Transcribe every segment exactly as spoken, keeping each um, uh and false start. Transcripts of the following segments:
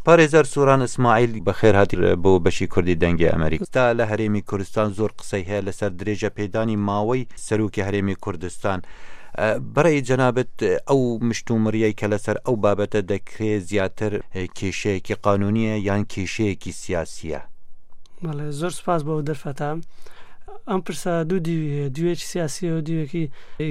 پارێزەر سۆران ئیسماعیل، بەخێرهاتی بۆ بەشی کوردی دەنگی ئەمریکا. تا لە هەرێمی کوردستان زۆر قسەی هەیە لەسەر درێژە پێدانی ماوەی سەرۆکی هەرێمی کوردستان. بەڕێی جەنابت ئەو مشتومڕیەی کە لەسەر ئەو بابەتە دەکرێت زیاتر کێشەیەکی قانونیە یان کێشەیەکی سیاسیە؟ بەڵێ، زۆر سپاس بۆ ئەو دەرفەتە. ئەم پرسە دوو دیوی هەیە، دیوێکی سیاسیە و دیوێکی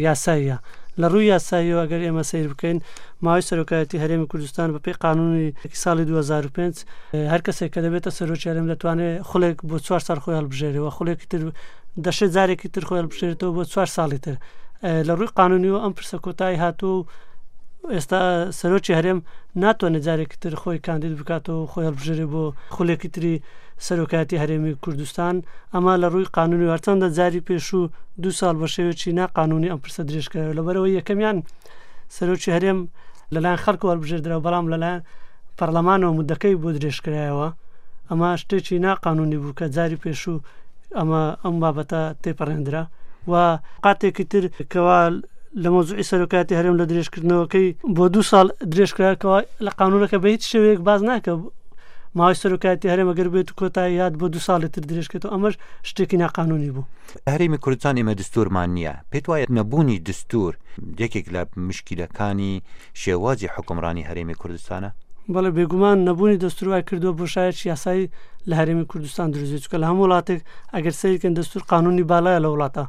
یاساییە. لە ڕووی یاساییەوە ئەگەر ئێمە سەیر بکەین، ماوەی سەرۆکایەتی هەرێمی کوردستان بەپێی قانونی ساڵی دوو هەزار و پێنج هەر کەسێک کە دەبێتە سەرۆکی هەرێم دەتوانێت خولێک بۆ چوار ساڵ خۆی هەڵبژێرێەوە، خولێکی تر دەشێت جارێکی تر خۆی هەڵبژێرێتەوە بۆ چوار ساڵی تر. لە ڕووی قانونیەوە ئەم پرسە کۆتایی هاتووە و ئێستا سەرۆکی هەرێم ناتوانێت جارێکی تر خۆی کاندید بکاتەوە و خۆی هەڵبژێرێ بۆ خولێکی تری سەرۆکایەتی هەرێمی کوردستان. ئەمە لە ڕووی قانونی هەرچەندە جاری پێشوو دوو ساڵ بە شێوەیەکی ناقانونی ئەم پرسە درێژکرایەوە، لەبەرەوەی یەکەمیان سەرۆکی هەرێم لەلایەن خەڵکەوە هەڵبژێردراوە، بەڵام لەلایەن پەرلەمانەوە مدەکەی بۆ درێژکرایەوە. ئەمە شتێکی ناقانونی بوو کە جاری پێشوو ئەمە ئەم بابەتە تێپەڕێندرا. و قاتێکی تر کەوا لە مەوزوعی سەرۆکایەتی هەرێم لە درێژکردنەوەکەی بۆ دوو ساڵ درێژکراکەوە لە قانونەکە بە هیچ شێوەیەک باز ناکە ماوەی سەرۆکایەتی هەرێم ئەگەر بێت و کۆتایی هات بۆ دوو ساڵی تر درێژکرێتەوە، ئەمەش شتێکی ناقانونی بوو. هەرێمی کوردستان ئێمە دستورمان نییە. پێت وایە نەبوونی دستور یەکێک لە مشکلەکانی شێوازی حکومڕانی هەرێمی کوردستانە؟ بەڵێ، بێگومان نەبوونی دەستور وای کردووە بۆشایەکی یاسایی لە هەرێمی کوردستان دروست بێت، چونکە لە هەموو وڵاتێک ئەگەر سەیرکەن دەستور قانونی باڵایە لە وڵاتە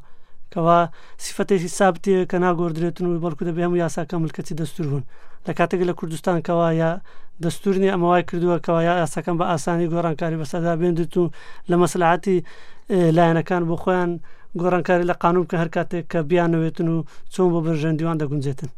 کەوا سیفەتێکی سابتیە کە ناگۆڕدرێتن و بەڵکو دەبێ هەموو یاساکە ملکەتی دەستور بوون. لە کاتێک لە کوردستان کەوا یا دەستور نییە، ئەمە وای کردووە کەوا یا یاساکان بە ئاسانی گۆڕانکاری بەسەردا بێنرێت و لە مەسلحەتی لایەنەکان بۆ خۆیان گۆڕانکاری لە قانون بکەن هەر کاتێک کە بیانەوێتن و چۆن بۆ بەرژەوەندیوان دەگونجێتن.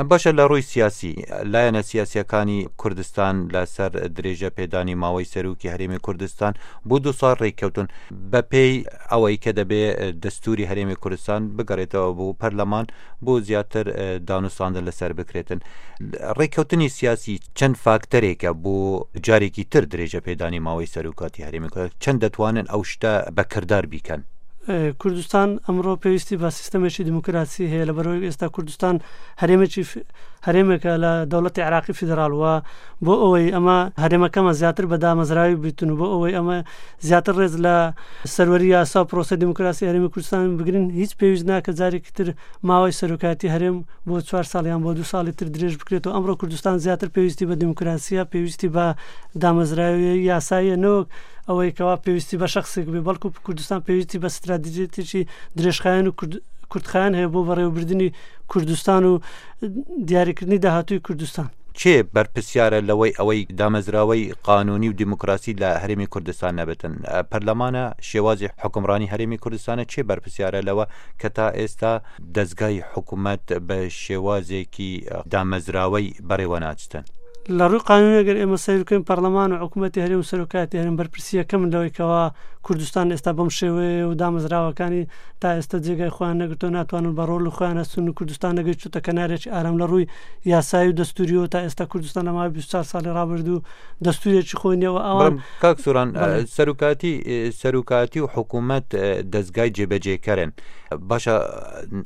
باشە، لە ڕووی سیاسی لایەنە سیاسیەکانی کوردستان لەسەر درێژە پێدانی ماوەی سەرۆکی هەرێمی کوردستان بۆ دوو ساڵ ڕێککەوتون بە پێی ئەوەی کە دەبێ دەستوری هەرێمی کوردستان بگەڕێتەوە بۆ پەرلەمان بۆ زیاتر دانوستاندن لەسەر بکرێتن. ڕێککەوتنی سیاسی چەند فاکتەرێکە بۆ جارێکی تر درێژە پێدانی ماوەی سەرۆکاتی هەرێمی کوردستان، چەند دەتوانن ئەو شتە بەکردار بیکەن؟ کوردستان ئەمڕۆ پێویستی بە سیستەمێکی دیموکراسی هەیە، لەبەرەوەی ئێستا کوردستان هەرێمێکی هەرێمێکە لە دەوڵەتی عێراقی فیدراڵ وە بۆ ئەوەی ئەمە هەرێمەکەمە زیاتر بە دامەزراوی بیتن و بۆ ئەوەی ئەمە زیاتر ڕێز لە سەروەری یاسا و پرۆسەی دیموکراسی هەرێمی کوردستان بگرن، هیچ پێویست ناکە جارێکی تر ماوەی سەرۆکایەتی هەرێم بۆ چوار ساڵ یان بۆ دوو ساڵی تر درێژ بکرێتەوە. ئەمڕۆ کوردستان زیاتر پێویستی بە دیموکراسیە، پێویستی بە دامەزراوی یاساییە، نەوەک ئەوەی کەوا پێویستی بە شخصێک بێ، بەڵکو کوردستان پێویستی بە ستراتیژیەتێکی درێژخایەن و کورتخایەن هەیە بۆ بەڕێوەبردنی کوردستان و دیاریکردنی داهاتووی کوردستان. چێ بەرپرسیارە لەوەی ئەوەی دامەزراوەی قانونی و دیموکراسی لە هەرێمی کوردستان نەبێتن؟ پەرلەمانە، شێوازی حکومڕانی هەرێمی کوردستانە، چێ بەرپرسیارە لەوە کە تا ئێستا دەستگای حکوومەت بە شێوازێکی دامەزراوەی بەڕێوە ناچتن؟ لە ڕووی قانونی ئەگەر ئێمە سەیر بکەین، پەرلەمان و حکوومەتی هەرێم و سەرۆکایەتی هەرێم بەرپرسیەکەمن لەوەی کەوا کوردستان ئێستا بەم شێوەیە و دامەزراوەکانی تا ئێستا جێگای خۆیان نەگرتەوە، ناتوانن بە ڕۆڵ خۆیان هەستن و کوردستان نەگەیشتووتە کەنارێکی ئارام لە ڕووی یاسایی و دەستوریەوە. تا ئێستا کوردستان لە ماوەی بیست و چوار ساڵی ڕابردوو دەستورێکی خۆی نییە و ئەوان کاک سۆران، سەرۆکاتی سەرۆکاتی و حکوومەت دەستگای جێبەجێکەرن. باشە،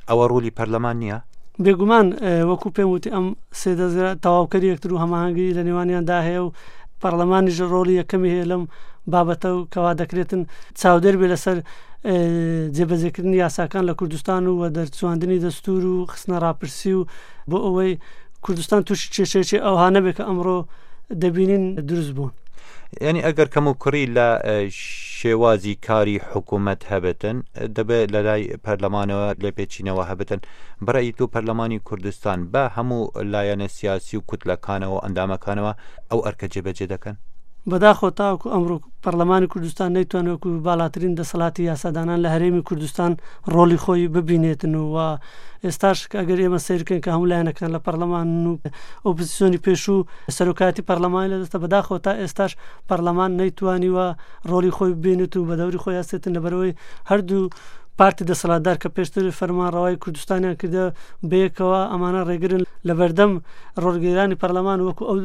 ئەوە ڕۆلی پەرلەمان نییە؟ بێگومان وەکو پێم وتی ئەم سێ دەستگا تەواوکەری یەکتر و هەماهەنگی لە نێوانیاندا هەیە و پەرلەمانیش ڕۆڵی یەکەمی هەیە لەم بابەتە و کەوا دەکرێتن چاودێر بێ لەسەر جێبەجێکردنی یاساکان لە کوردستان و دەرچواندنی دەستور و خستنە ڕاپرسی و بۆ ئەوەی کوردستان تووشی کێشەیەکی ئەوها نەبێت کە ئەمڕۆ دەبینین دروست بوون. یعنی ئەگەر کەم و کوڕی لە شێوازی کاری حکوومەت هەبێتن، دەبێت لە لای پەرلەمانەوە لێپێچینەوە هەبێتن. بەڕای تۆ پەرلەمانی کوردستان بە هەموو لایەنە سیاسی و کوتلەکانەوە ئەندامەکانەوە ئەو ئەرکە جێبەجێ دەکەن؟ بەداخەوە تاوەکو ئەمڕۆ پەرلەمانی کوردستان نەیتوانێت وەکو باڵاترین دەسەڵاتی یاسادانان لە هەرێمی کوردستان ڕۆڵی خۆی ببینێتن و ئێستاش ئەگەر ئێمە سەیر بکەین کە هەموو لایەنەکان لە پەرلەمان و ئۆپۆزیسیۆنی پێشوو سەرۆکایەتی پەرلەمانی لە دەستە، بەداخەوە تا ئێستاش پەرلەمان نەیتوانیوە ڕۆڵی خۆی ببینێت و بە دەوری خۆی هەستێتن، لەبەرەوەی هەردوو پارتی دەسەڵاتدار کە پێشتر فەرمانڕەوای کوردستانیان کردە بەیەکەوە ئەمانە ڕێگرن لەبەردەم ڕۆڵگێرانی پەرلەمان وەکو ئەو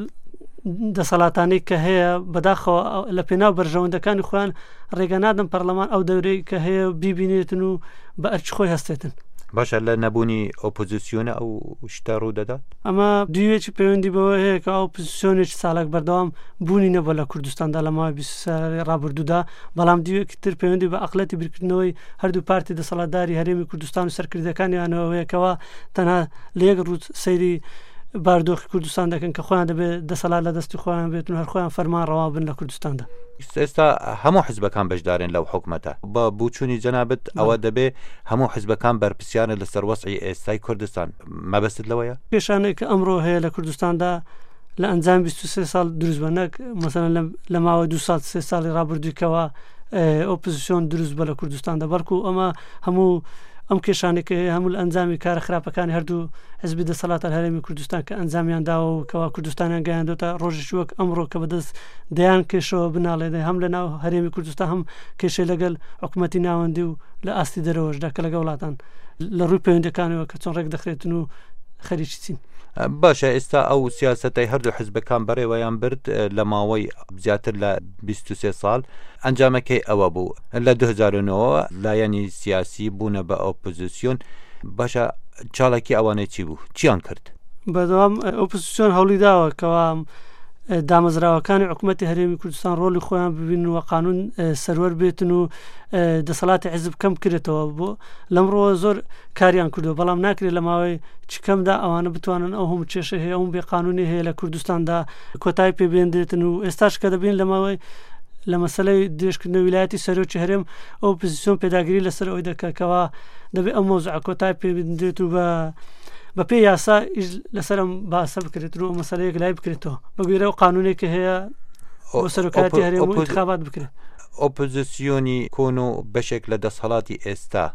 دەسەڵاتانەی کە هەیە. بەداخەوە لە پێناو بەرژەوەندەکانی خۆیان ڕێگە نادەن پەرلەمان ئەو دەورەی کە هەیە بیبینێتن و بە ئەرکی خۆی هەستێتن. باشە لە نەبوونی ئۆپۆزیسیۆنە ئەو شتە ڕوو دەدات؟ ئەمە دیوێکی پەیوەندی بەوە هەیە کە ئۆپۆزیسیۆنێکی چالاک بەردەوام بوونی نەبووە لە کوردستاندا لە ماوەی بیست ساڵی ڕابردوودا، بەڵام دیوێکی تر پەیوەندی بە عەقڵیەتی بیرکردنەوەی هەردوو پارتی دەسەڵاتداری هەرێمی کوردستان و سەرکردەکانیانەوە هەیە کەوا تەنها لە یەک ڕوو سەیری باردۆخی کوردستان دەکەن کە خۆیان دەبێت دەسەڵات لە دەستی خۆیان بێت و هەر خۆیان فەرمان ڕەوا بن لە کوردستاندا. ئێستا هەموو حزبەکان بەشدارن لەو حکومەتە. بە بوچوونی جەنابت ئەوە دەبێ هەموو حزبەکان بەرپرسیارن لەسەر وەزعی ئێستای کوردستان، مەبەستت لەوەیە؟ کێشانێک کە ئەمڕۆ هەیە لە کوردستاندا لە ئەنجام بیست و سێ ساڵ دروست بە، نەک مەسەلەن لە ماوەی دوو ساڵ سێ ساڵی ڕابردووی کەوا ئۆپۆزیسیۆن دروست بە لە کوردستاندا، بەڵکو ئەمە هەموو ئەم کێشانێک هەیە هەموو لە ئەنجامی کارە خراپەکانی هەردوو حزبی دەسەڵاتە هەرێمی کوردستان کە ئەنجامیان داوە و کەوا کوردستانیان گەیاندۆتە ڕۆژێکی وەک ئەمڕۆ کە بەدەست دەیان کێشەوە بناڵێنێ، هەم لە ناو هەرێمی کوردستان هەم کێشەی لەگەڵ حکوومەتی ناوەندی و لە ئاستی دەرەوەشدا کە لەگەڵ وڵاتان لە ڕووی پەیوەندەکانەوە کە چۆن ڕێک دەخرێتن و خەریکی چین. باشە ئێستا ئەو سیاسەتەی هەردوو حزبەکان بەڕێوەیان برد لە ماوەی زیاتر لە بیست و سێ ساڵ، ئەنجامەکەی ئەوە بوو لە دوو هەزار و نۆ لایەنی سیاسی بوونە بە ئۆپۆزیسیۆن. باشە چالاکی ئەوانەی چی بوو؟ چیان کرد؟ بەدەوام ئۆپۆزیسیۆن هەوڵی داوە کەوا دامەزراوەکانی حکوومەتی هەرێمی کوردستان ڕۆڵی خۆیان ببینن و قانون سەروەر بێتن و دەسەڵاتی حیزب کەم بکرێتەوە. بۆ لەمڕۆوە زۆر کاریان کردو، بەڵام ناکرێت لە ماوەی چکەمدا ئەوانە بتوانن ئەو هەموو کێشە هەیە، ئەو بێقانونی هەیە لە کوردستاندا کۆتایی پێبێندرێتن. و ئێستاش کە دەبین لە ماوەی لە مەسلەی درێژکردنەوەی ویلایەتی سەرۆکی هەرێم ئۆپۆزیسیۆن پێداگیری لەسەر ئەوەی دەکات کەوا دەبێت ئەو مەوزوعە کۆتایی پێبێندرێت و بە بە پێی یاسا ئیش لەسەر ئەم باسە بکرێت و ئەو مەسەلەیەک لای بکرێتەوە بە گوێرە ئەو قانونێک کە هەیە بۆ سەرۆکایەتی هەرێم و ئینتخابات بکرێت. ئۆپۆزیسیۆنی کۆن و بەشێک لە دەسەڵاتی ئێستا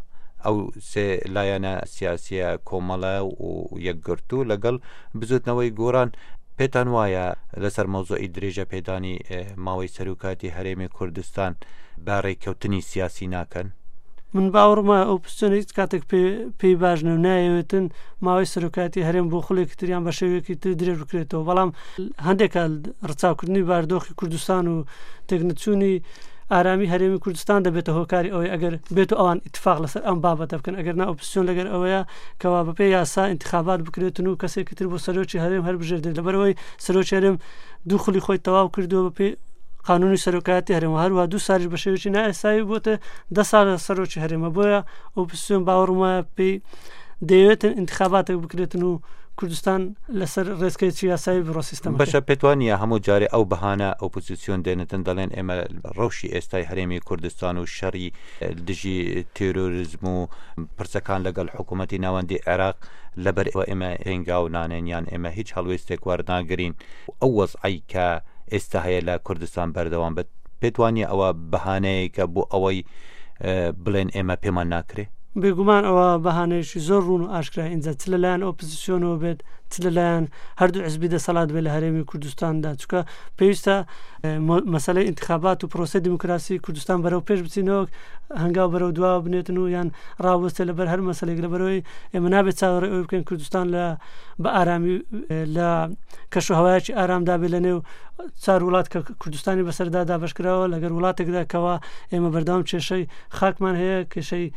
ئەو سێ لایەنە سیاسیە کۆمەڵە و یەکگرتوو لەگەڵ بزوتنەوەی گۆران، پێتان وایە لەسەر مەوزوعی درێژە پێدانی ماوەی سەرۆکاتی هەرێمی کوردستان بە ڕێککەوتنی سیاسی ناکەن؟ من باوەڕمە ئۆپۆزیسیۆن هیچ کاتێک پێی باش نە و نایەوێتن ماوەی سەرۆکاتی هەرێم بۆ خولێکی تریان بە شێوەیەکی تر درێژ بکرێتەوە، بەڵام هەندێک ڕچاوکردنی باردۆخی کوردستان و تێکنەچوونی ئارامی هەرێمی کوردستان دەبێتە هۆکاری ئەوەی ئەگەر بێت و ئەوان ئیتفاق لەسەر ئەم بابەتە بکەن. ئەگەر نا ئۆپۆزیسیۆن لەگەر ئەوەیە کەوا بەپێی یاسا ئینتخابات بکرێتن و کەسێکی تر بۆ سەرۆکی هەرێم هەربژێردرێت، لەبەرەوەی سەرۆکی هەرێم دوو خولی خۆی تەواو کردووە بەپێی قانونی سەرۆکایەتی هەرێم و هەروەها دوو ساڵیش بە شێوەیەکی نایاسایی بۆتە دە ساڵ سەرۆکی هەرێمە. بۆیە ئۆپۆزیسیۆن باوەڕم وایە پێی دەیەوێتن ئینتخاباتێک بکرێتن و کوردستان لەسەر ڕێزکەیەکی یاسایی بڕۆ سیستەمەکەی. بەشە پێت وانییە هەموو جارێ ئەو بەهانە ئۆپۆزیسیۆن دێنێتن دەڵێن ئێمە ڕەوشی ئێستای هەرێمی کوردستان و شەڕی دژی تێرۆریزم و پرسەکان لەگەڵ حکوومەتی ناوەندی عێراق لەبەر ئەوە ئێمە هێنگاو نانێن یان ئێمە هیچ هەڵوێستێک وەرناگرین، ئەو وەزعەی کە ئێستا هەیە لە کوردستان بەردەوام بێت، پێت وانییە ئەوە بەهانەیەکە بۆ ئەوەی بڵێن ئێمە پێمان ناکرێ؟ بێگومان ئەوە بەهانەیەکی زۆر ڕوون و ئاشکرا، ئینجا چ لەلایەن ئۆپۆزیسیۆنەوە بێت چ لەلایەن هەردوو حزبی دەسەڵات بێت لە هەرێمی کوردستاندا، چونکە پێویستە مەسەلەی ئینتخابات و پرۆسەی دیموکراسی کوردستان بەرەو پێش بچینەوە، هەنگاو بەرەو دواوە بنێتن و یان ڕاوەستێ لەبەر هەر مەسەلێک، لەبەرەوەی ئێمە نابێت چاوەڕێ ئەوەی بکەین کوردستان لە بە ئارامی لە کەش و هەوایەکی ئارامدا بێت لە نێو چوار وڵات کە کوردستانی بەسەردا دابەشکراوە، لەگەر وڵاتێکدا کەوا ئێمە بەردەوام کێشەی خاکمان هەیە، کێشەی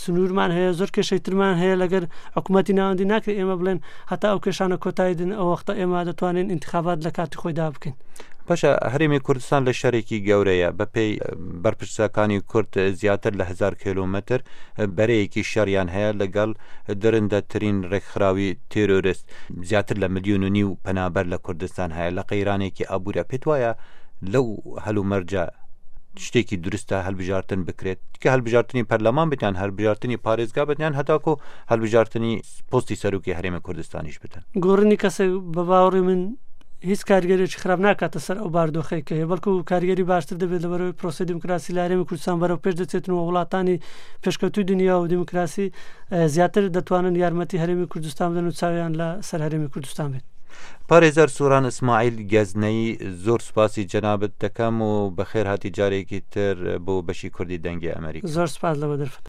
سنوورمان هەیە، زۆر کێشەی ترمان هەیە لەگەر حکوومەتی ناوەندی. ناکرێت ئێمە بڵێن هەتا ئەو کێشانە کۆتایی دن ئەو وەختە ئێمە دەتوانین ئینتخابات لە کاتی خۆیدا بکەین. باشە هەرێمی کوردستان لە شەرێکی گەورەیە، بەپێی بەرپرسەکانی کورد زیاتر لە هەزار کیلۆمەتر بەرەیەکی شەریان هەیە لەگەڵ درندەترین ڕێکخراوی تێرۆریست، زیاتر لە ملیۆن و نیو پەنابەر لە کوردستان هەیە، لە قەیرانێکی ئابوورە. پێت وایە لەو هەلومەرجە شتێکی دروستە هەلبژارتن بکرێت کە هەلبژارتنی پەرلەمان بێت یان هەلبژارتنی پارێزگا بێت یان هەتاکو هەلبژارتنی پۆستی سەرۆکی هەرێمی کوردستانیش بتن؟ گۆڕینی کەسێک بە باوەڕی من هیچ کارگەرێکی خراپ ناکاتە سەر ئەو باردۆخەی کە هەیە، بەڵکو کارگەری باشتر دەبێت لەبەرەوەی پرۆسەی دیموکراسی لە هەرێمی کوردستان بەرەو پێش دەچێتن و وڵاتانی پێشکەوتووی دنیا و دیموکراسی زیاتر دەتوانن یارمەتی هەرێمی کوردستان بدەن و چاویان لەسەر هەرێمی کوردستان بێت. پارێزەر سۆران ئیسماعیل گەزنەیی، زۆر سوپاسی جەنابت دەکەم و بەخێر هاتی جارێکی تر بۆ بەشی کوردی دەنگی ئەمریکا. زۆر سوپاس لەوە دەرفەت.